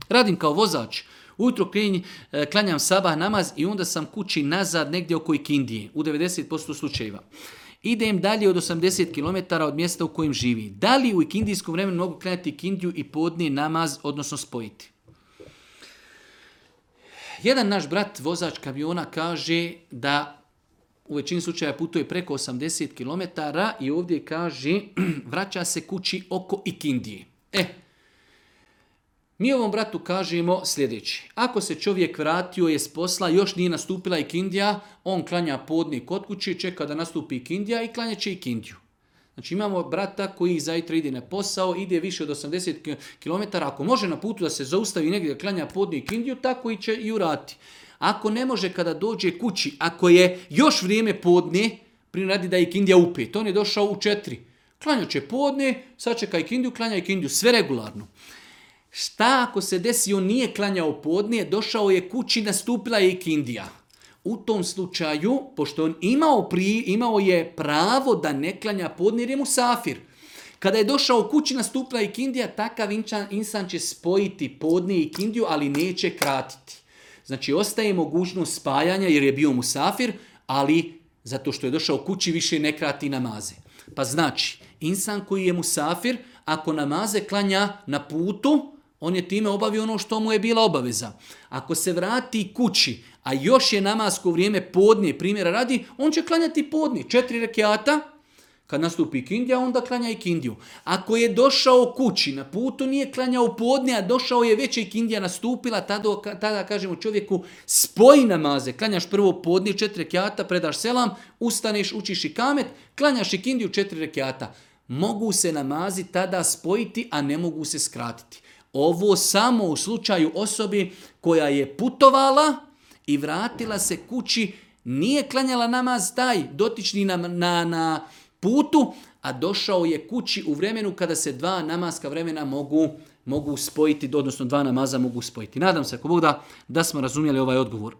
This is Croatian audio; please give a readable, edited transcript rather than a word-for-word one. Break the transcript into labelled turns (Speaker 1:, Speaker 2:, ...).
Speaker 1: Radim kao vozač. Ujutro klanjam sabah namaz i onda sam kući nazad negdje oko ikindije, u 90% slučajeva. Idem dalje od 80 km od mjesta u kojem živi. Da li u ikindijskom vremenu mogu klanjati ikindiju i podni namaz, odnosno spojiti? Jedan naš brat, vozač kamiona, kaže da u većini slučaja putuje preko 80 km i ovdje kaže vraća se kući oko ikindije. Mi ovom bratu kažemo sljedeće. Ako se čovjek vratio je s posla, još nije nastupila ikindija, on klanja podni kod kući, čeka da nastupi ikindija i klanja će ikindiju. Znači imamo brata koji zajtra ide na posao, ide više od 80 km, ako može na putu da se zaustavi negdje da klanja podni ikindiju, tako i će i urati. Ako ne može kada dođe kući, ako je još vrijeme podne, radi da je ikindija u 5, on je došao u 4. Klanja će podne, sačeka ikindiju, klanja ikindiju, sve regularno. Šta ako se desi, on nije klanjao podne, došao je kući, nastupila je ikindija. U tom slučaju, pošto on imao je pravo da ne klanja podne jer je musafir. Kada je došao kući, nastupila je ikindija, takav insan će spojiti podne i ikindiju, ali neće kratiti. Znači, ostaje mogućnost spajanja jer je bio musafir, ali zato što je došao kući više ne krati namaze. Pa znači, insan koji je musafir, ako namaze klanja na putu, on je time obavio ono što mu je bila obaveza. Ako se vrati kući, a još je namasko vrijeme podne, primjera radi, on će klanjati podne, 4 rekiata. Kad nastupi ikindija, onda klanja ikindiju. Ako je došao kući, na putu nije klanjao podne, a došao je već ikindija nastupila, tada kažemo čovjeku spoji namaze. Klanjaš prvo podne, 4 rekiata, predaš selam, ustaneš, učiš ikamet, klanjaš ikindiju 4 rekiata. Mogu se namazi tada spojiti, a ne mogu se skratiti. Ovo samo u slučaju osobe koja je putovala i vratila se kući, nije klanjala namaz taj dotični na putu, a došao je kući u vremenu kada se 2 namaska vremena mogu spojiti, odnosno 2 namaza mogu spojiti. Nadam se, ako Bog da smo razumjeli ovaj odgovor.